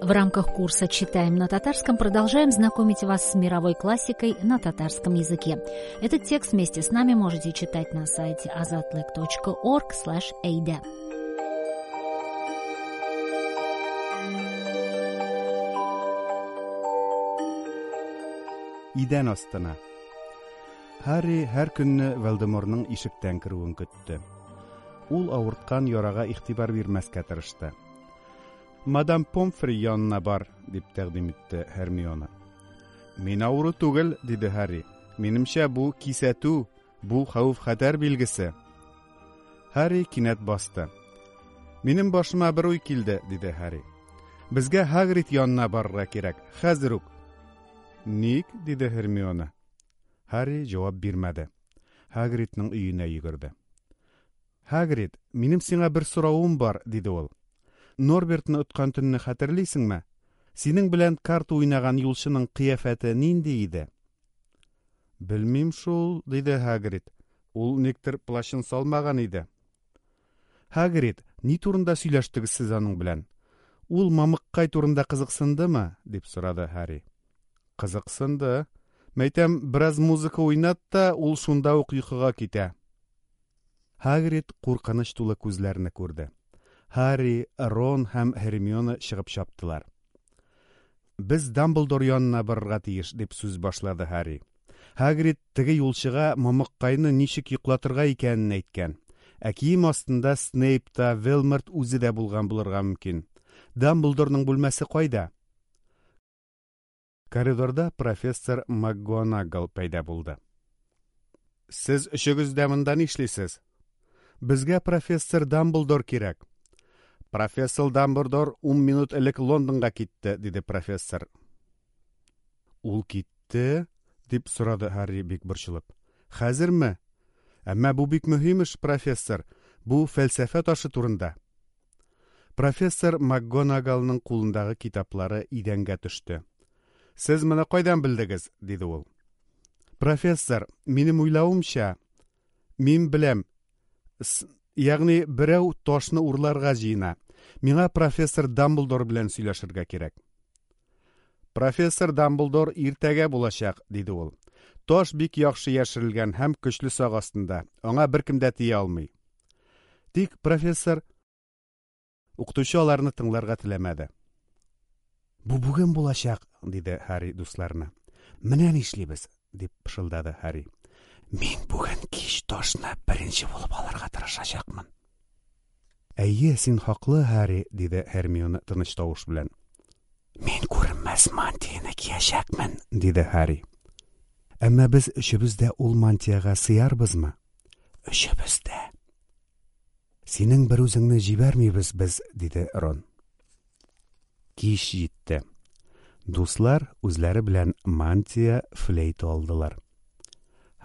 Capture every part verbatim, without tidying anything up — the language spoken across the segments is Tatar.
В рамках курса «Читаем на татарском» продолжаем знакомить вас с мировой классикой на татарском языке. Этот текст вместе с нами можете читать на сайте азатлык точка орг слэш эйдэ. Идән астына. Һарри һәр көнне Волдеморның ишектән керүен көтте. Ул авырткан ярага игътибар бирмәскә тырышты. Мадам Помфри янына бар, дип тәкъдим итте Һермиона. Мин авыру түгел, диде Һарри. Минемчә, бу кисәтү, бу хәвеф-хәтәр билгесе. Һарри кинәт басты. Минем башыма бер уй килде, диде Һарри. Безгә Һагрид янына барырга кирәк, хәзер үк. Ник, диде Һермиона. Һарри җавап бирмәде. Һагридның өенә йөгерде. Һагрид, минем сиңа бер соравым бар, диде ул. Норбертны откан төнне хәтерлисеңме? Синең белән карта уйнаган юлчының кыяфәте нинди иде? Белмим шул, диде Һагрид. Ул никтер плащын салмаган иде. Һагрид, ни турында сөйләштегез сез аның белән? Ул мамыккай турында кызыксындымы? Дип сорады Һарри. Кызыксынды. Мәйтәм, бераз музыка уйнат та, ул шунда ук йокыга китә. Һагрид куркыныч тулы күзләрне күрде. Һарри, Рон һәм Һермиона чыгып чаптылар. Без Дамблдор янына барырга тиеш, дип сүз башлады Һарри. Һагрид теге юлчыга мамыккайны ничек йоклатырга икәнен әйткән. Ә кием астында Снейп та, Волдеморт үзе дә булган булырга мөмкин. Дамблдорның бүлмәсе кайда? Коридорда профессор МакГонагал пәйда булды. Сез өчегез дә монда нишлисез? Безгә профессор Дамблдор кирәк. Профессор Дамблдор ун минут элек Лондонга китте, диде профессор. Ул китте? Дип сорады Һарри бик борчылып. Хәзерме? Әмма бу бик мөһим эш, профессор. Бу фәлсәфә ташы турында. Профессор МакГонагалның кулындагы китаплары идәнгә төште. Сез моны кайдан белдегез? Диде ул. Профессор, минем уйлавымча, мин беләм. С-, ягъни берәү ташны урларга җыена. Миңа профессор Дамблдор белән сөйләшергә кирәк. Профессор Дамблдор иртәгә булачак, диде ул. Таш бик яхшы яшерелгән һәм көчле сак астында. Аңа беркем дә тия алмый. Тик профессор укытучы аларны тыңларга теләмәде. Бу бүген булачак, диде Һарри дусларына. Менә нишлибез, дип пышылдады Һарри. Мин бүген кич ташны беренче булып алырга тырышачакмын. Әйе, син хаклы, Һарри, диде Һермиона тыныч тавыш белән. Мин күренмәс мантияне киячәкмен, диде Һарри. Әмма без өчебез дә ул мантияга сыярбызмы? Өчебез дә. Синең бер үзеңне җибәрмибез без, диде Рон. Кич җитте. Дуслар үзләре белән мантия, флейта алдылар.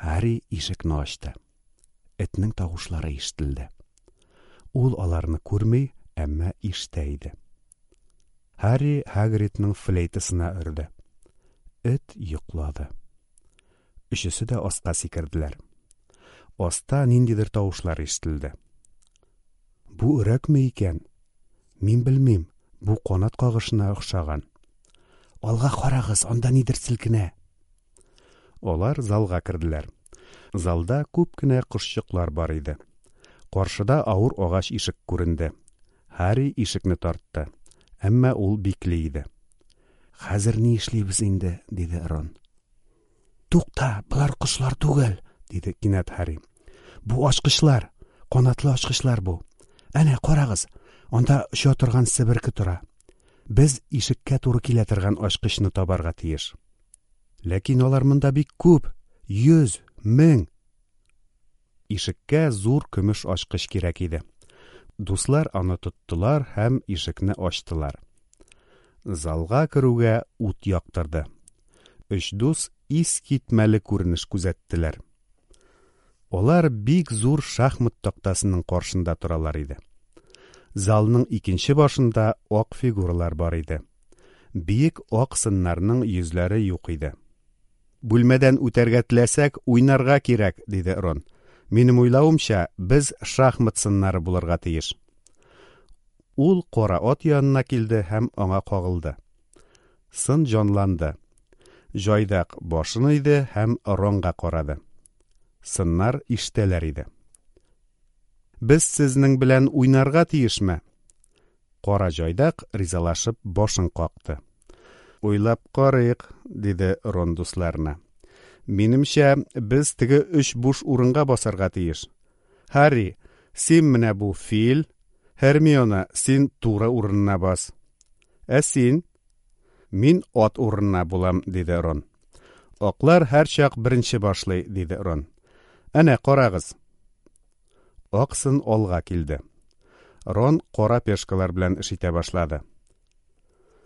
Һарри ишекне ачты. Этнең тавышлары ишетелде. Ул аларны күрми, әмма ишетә иде. Һарри Һагридның флейтасына өрде. Эт йоклады. Өчесе дә аска сикерделәр. Аста ниндидер тавышлар ишетелде. Бу өрәкме икән? Мин белмим, бу канат кагышына охшаган. Алга карагыз, анда нидер селкенә. Алар залга керделәр. Залда күп кенә кошчыклар бар иде. Каршыда авыр агач ишек күренде. Һарри ишекне тартты. Әмма ул бикле иде. Хәзер ни эшлибез инде, диде Рон. Тукта, болар кошлар түгел, диде кинәт Һарри. Бу ачкычлар, канатлы ачкычлар бу. Әнә, карагыз, анда оча торган себерке тора. Без ишеккә туры килә торган ачкычны табарга тиеш. Ләкин алар монда бик күп, йөз, мең. Ишеккә зур көмеш ачкыч кирәк иде. Дуслар аны тоттылар һәм ишекне ачтылар. Залга керүгә ут яктырды. Өч дус искитмәле күренеш күзәттеләр. Алар бик зур шахмат тактасының каршында торалар иде. Залның икенче башында ак фигуралар бар иде. Биек ак сыннарның йөзләре юк иде. Бүлмәдән үтәргә теләсәк, уйнарга кирәк, диде Рон. Минем уйлавымча, без шахмат сыннары булырга тиеш. Ул кара ат янына килде һәм аңа кагылды. Сын җанланды. Җайдак башын иде һәм Ронга карады. Сыннар ишетәләр иде. Без сезнең белән уйнарга тиешме? Кара җайдак ризалашып башын какты. Уйлап карыйк, диде Рон дусларына. Минемчә, без теге өч буш урынга басарга тиеш. Һарри, син менә бу фил, Һермиона, син туры урынына бас. Ә син? Мин ат урынына булам, диде Рон. Аклар һәрчак беренче башлый, диде Рон. Әнә, карагыз. Ак сын алга килде. Рон кара пешкалар белән эш итә башлады.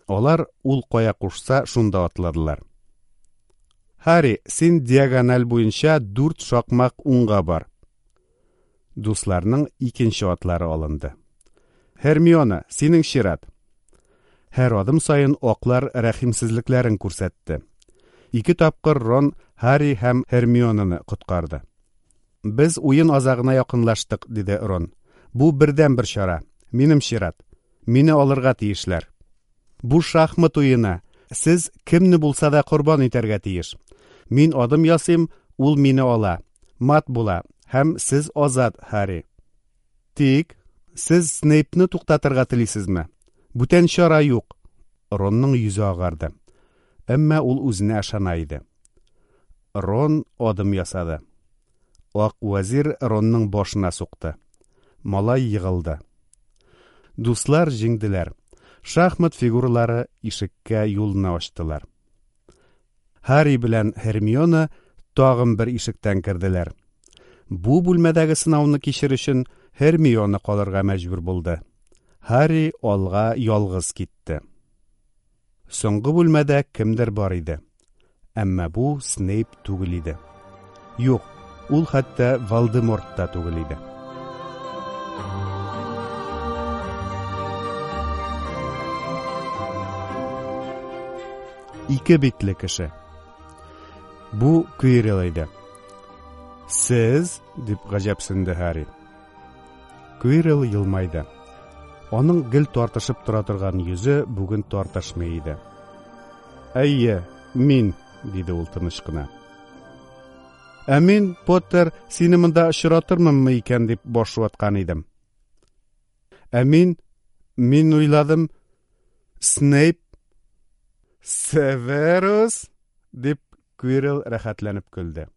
Алар ул кая кушса, шунда атладылар. Һарри, син диагональ буенча дүрт шакмак уңга бар. Дусларның икенче атлары алынды. Һермиона, синең чират. Һәр адым саен аклар рәхимсезлекләрен күрсәтте. Ике тапкыр Рон Һарри һәм Һермионаны коткарды. Без уен азагына якынлаштык, диде Рон. Бу бердәнбер чара. Минем чират. Мине алырга тиешләр. Бу шахмат уены. Сез кемне булса да корбан итәргә тиеш. Мин адым ясыйм, ул мине ала. Мат була һәм сез азат, Һарри. Тик сез Снейпны туктатырга телисезме? Бүтән чара юк. Ронның йөзе агарды. Әмма ул үзенә ышана иде. Рон адым ясады. Ак вәзир Ронның башына сукты. Малай егылды. Дуслар җиңделәр. Шахмат фигуралары ишеккә юлны ачтылар. Һарри белән Һермиона тагын бер ишектән керделәр. Бу бүлмәдәге сынауны кичер өчен Һермиона калырга мәҗбүр булды. Һарри алга ялгыз китте. Соңгы бүлмәдә кемдер бар иде. Әмма бу Снейп түгел иде. Юк, ул хәтта Волдеморт та түгел иде. Ике битле кеше. Бу Квиррелл иде. Сез, дип гаҗәпсенде Һарри. Квиррелл елмайды. Аның гел тартышып тора торган йөзе бүген тартышмый иде. Әйе, мин, диде ул тыныч кына. Ә мин, Поттер, сине монда очратырмынмы икән дип баш ваткан идем. Ә мин, мин уйладым, Снейп, Северус, дип Квиррелл рәхәтләнеп көлде.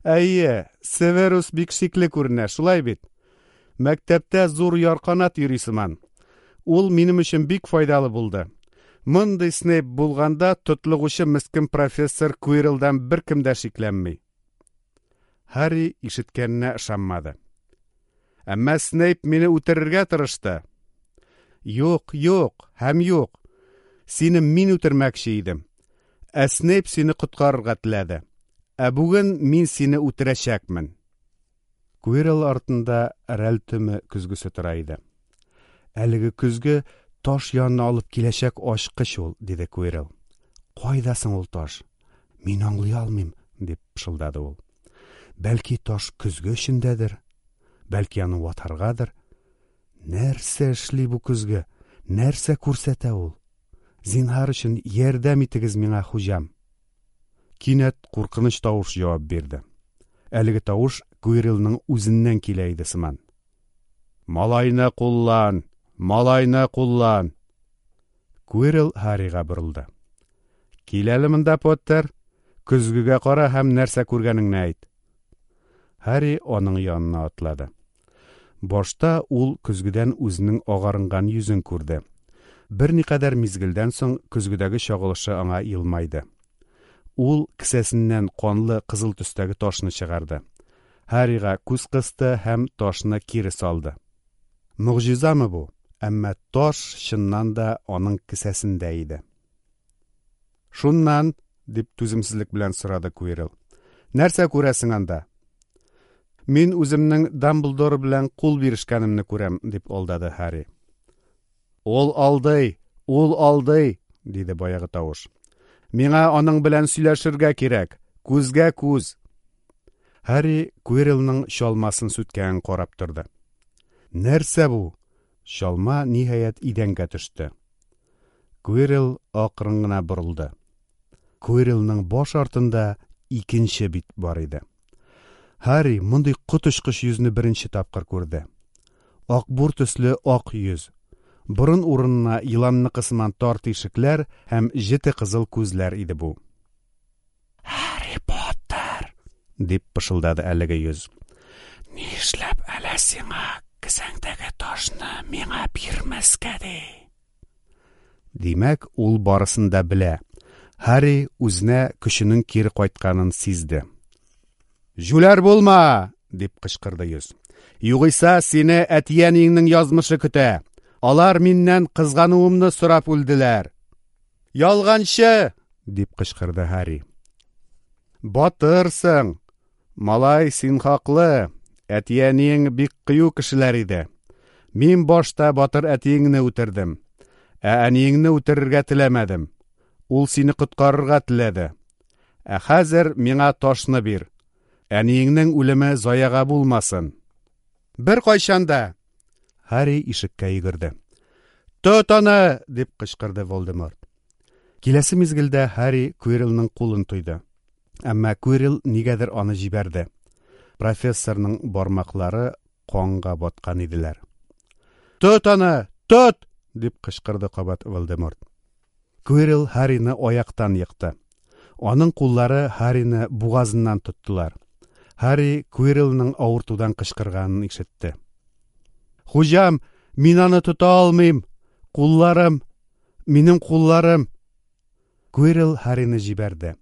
Әйе, Северус бик шикле күренә, шулай бит? Мәктәптә зур ярканат йөри сыман. Ул минем өчен бик файдалы булды. Мондый Снейп булганда тотлыгучы мескен профессор Квирреллдан беркем дә шикләнми. Һарри ишеткәненә ышанмады. Әмма Снейп мине үтерергә тырышты. Юк, юк һәм юк. Сине мин үтермәкче идем. Ә Снейп сине коткарырга теләде. Ә бүген мин сине үтерәчәкмен. Квиррелл артында Рәлтөме көзгесе тора иде. Әлеге көзге таш янына алып киләчәк ачкыч ул, диде Квиррелл. Кайда соң ул таш? Мин аңлый алмыйм, дип пышылдады ул. Бәлки таш көзге эчендәдер, бәлки аны ватаргадыр. Нәрсә эшли бу көзге? Нәрсә күрсәтә ул? Зинһар өчен ярдәм итегез миңа, хуҗам. Кинәт куркыныч тавыш җавап бирде. Әлеге тавыш Квирреллның үзеннән килә иде сыман. Малайны куллан! Малайны куллан! Квиррелл Һаррига борылды. Кил әле монда, Поттер. Көзгегә кара һәм нәрсә күргәнеңне әйт. Һарри аның янына атлады. Башта ул көзгедән үзенең агарынган йөзен күрде. Берникадәр мизгелдән соң көзгедәге чагылышы аңа елмайды. Ул кесәсеннән канлы кызыл төстәге ташны чыгарды. Һаррига күз кысты һәм ташны кире салды. Могҗизамы бу? Әмма таш чыннан да аның кесәсендә иде. Шуннан, дип түземсезлек белән сорады Квиррелл. Нәрсә күрәсең анда? Мин үземнең Дамблдор белән кул бирешкәнемне күрәм, дип алдады Һарри. Ул алдый, ул алдый, диде баягы тавыш. Миңа аның белән сөйләшергә кирәк, күзгә күз. Һарри Квирреллның чалмасын сүткәнен карап торды. Нәрсә бу? Чалма, ниһаять, идәнгә төште. Квиррелл акрын гына борылды. Квирреллның баш артында икенче бит бар иде. Һарри мондый коточкыч йөзне беренче тапкыр күрде. Акбур төсле ак йөз. Борын урынына еланныкы сыман тар тишекләр һәм җете кызыл күзләр иде бу. «Һарри Поттер!» – дип пышылдады әлеге йөз. «Нишләп әле сиңа кесәңдәге ташны миңа бирмәскә ди?» Димәк, ул барысын да белә. Һарри үзенә көченең кире кайтканын сизде. «Җүләр булма!» – дип кычкырды йөз. «Югыйсә сине әти-әниеңнең язмышы көтә. Алар миннән кызгануымны сорап үлделәр». «Ялганчы!» – дип кычкырды Һарри. «Батырсың! Малай, син хаклы. Әти-әниең бик кыю кешеләр иде. Мин башта батыр әтиеңне үтердем. Ә әниеңне үтерергә теләмәдем. Ул сине коткарырга теләде. Ә хәзер миңа ташны бир. Әниеңнең үлеме заяга булмасын». «Беркайчан да!» Һарри ишеккә йөгерде. «Тот аны!» – дип кычкырды Волдеморт. Киләсе мизгелдә Һарри Квиррелның кулын тойды. Әмма Квиррелл нигәдер аны җибәрде. Профессорның бармаклары канга баткан иделәр. «Тот аны! Тот!» – дип кычкырды кабат Волдеморт. Квиррелл Һаррины аяктан екты. Аның куллары Һаррины бугазыннан тоттылар. Һарри Квирреллның авыртудан кычкырганын ишетте. «Хуҗам, мин аны тота алмыйм! Кулларым! Минем кулларым!» Квиррелл Һаррины җибәрде.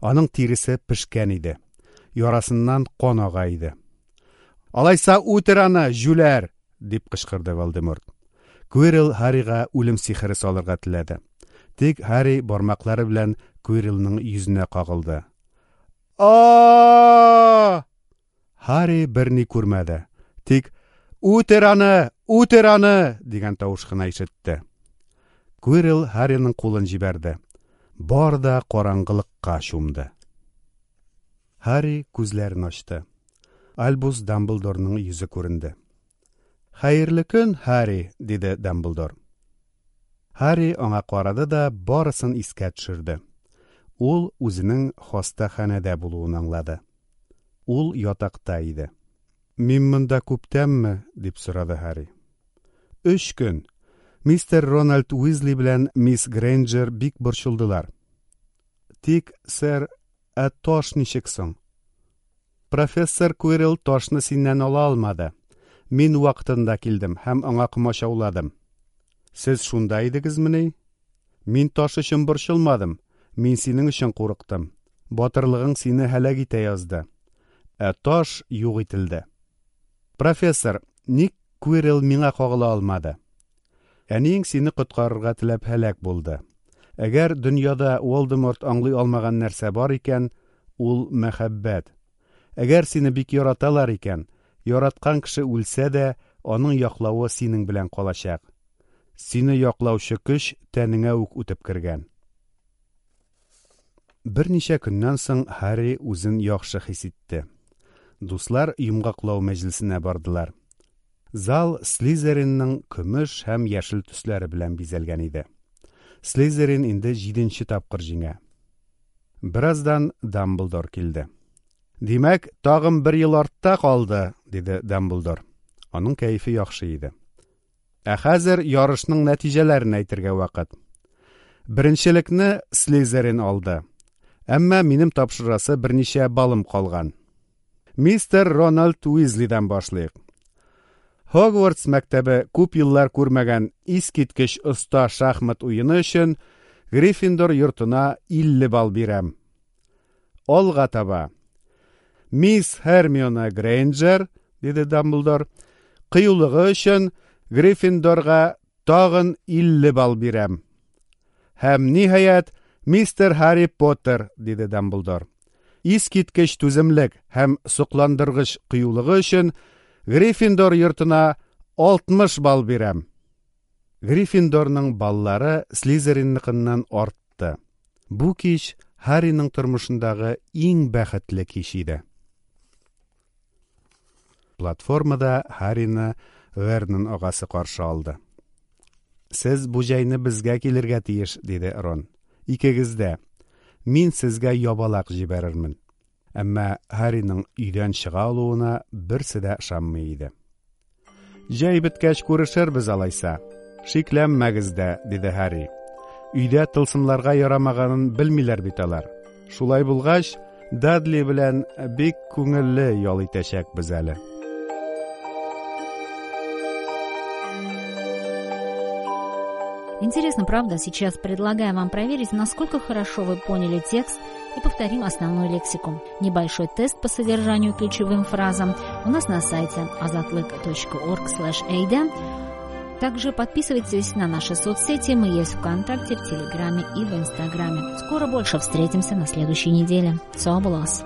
Аның тиресе пешкән иде. Ярасыннан кан ага иде. «Алайса үтер аны, җүләр!» – дип кычкырды Волдеморт. Квиррелл Һаррига үлем сихере салырга теләде. Тик Һарри бармаклары белән Квирреллның йөзенә кагылды. А! Һарри берни күрмәде. Тик «Үтер аны! Үтер аны!» дигән тавыш кына ишетте. Квиррелл Һарриның кулын җибәрде. Бар да караңгылыкка чумды. Һарри күзләрен ачты. Альбус Дамблдорның йөзе күренде. «Хәерле көн, Һарри!» – диде Дамблдор. Һарри аңа карады да барысын искә төшерде. Ул үзенең хастаханәдә булуын аңлады. Ул ятакта иде. «Мин монда күптәнме?» – дип сорады Һарри. «Өч көн. Мистер Рональд Уизли белән мисс Грейнджер бик борчылдылар. Тик, сэр, ә таш ничек соң? Профессор Квиррелл ташны синнән ала алмады. Мин вакытында килдем һәм аңа комачауладым. Сез шунда идегезмени? Мин таш өчен борчылмадым. Мин синең өчен курыктым. Батырлыгың сине һәлак итә язды. Ә таш юк ителде. Профессор, ник Квиррелл миңа кагыла алмады? Әниең сине коткарырга теләп һәлак булды. Әгәр дөньяда Волдеморт аңлый алмаган нәрсә бар икән, ул мәхәббәт. Әгәр сине бик яраталар икән, яраткан кеше үлсә дә, аның яклавы синең белән калачак. Сине яклаучы көч тәнеңә үк үтеп кергән. Берничә көннән соң Һарри үзен яхшы хис итте. Дуслар йомгаклау мәҗлесенә бардылар. Зал Слизеринның көмеш һәм яшел төсләре белән бизәлгән иде. Слизерин инде җиденче тапкыр җиңә. Бераздан Дамблдор килде. «Димәк, тагын бер ел артта калды», – диде Дамблдор. Аның кәефе яхшы иде. Ә хәзер ярышның нәтиҗәләрен әйтергә вакыт. Беренчелекне Слизерин алды. Әмма минем тапшырасы берничә балым калган. Мистер Рональд Уизлидан башлыйк. Хогвартс мәктәбе күп еллар күрмәгән искиткеч оста шахмат уены өчен Гриффиндор йортына илле балл бирәм. Алга таба. Мисс Һермиона Грейнджер, диде Дамблдор, кыюлыгы өчен Гриффиндорга тагын илле балл бирәм. Һәм ниһаять, мистер Һарри Поттер, диде Дамблдор. Искиткеч түземлек һәм сокландыргыч кыюлыгы өчен Гриффиндор йортына алтмыш балл бирәм. Гриффиндорның баллары Слизеринныкыннан артты. Бу кич Һарриның тормышындагы иң бәхетле кич иде. Платформада Һаррины Вернон агасы каршы алды. «Сез бу җәйне безгә килергә тиеш», – диде Рон. «Икегез дә. Мин сезгә ябалак җибәрермен». Әмма Һарриның өйдән чыга алуына берсе дә ышанмый иде. «Җәй беткәч күрешербез алайса. Шикләнмәгез дә», – диде Һарри. «Өйдә тылсымларга ярамаганын белмиләр бит алар. Шулай булгач, Дадли белән бик күңелле ял итәчәкбез әле». Интересно, правда? Сейчас предлагаю вам проверить, насколько хорошо вы поняли текст, и повторим основную лексику. Небольшой тест по содержанию ключевым фразам у нас на сайте azatlyk точка org слэш эйда. Также подписывайтесь на наши соцсети. Мы есть ВКонтакте, в Телеграме и в Инстаграме. Скоро больше, встретимся на следующей неделе. Сау булыгыз!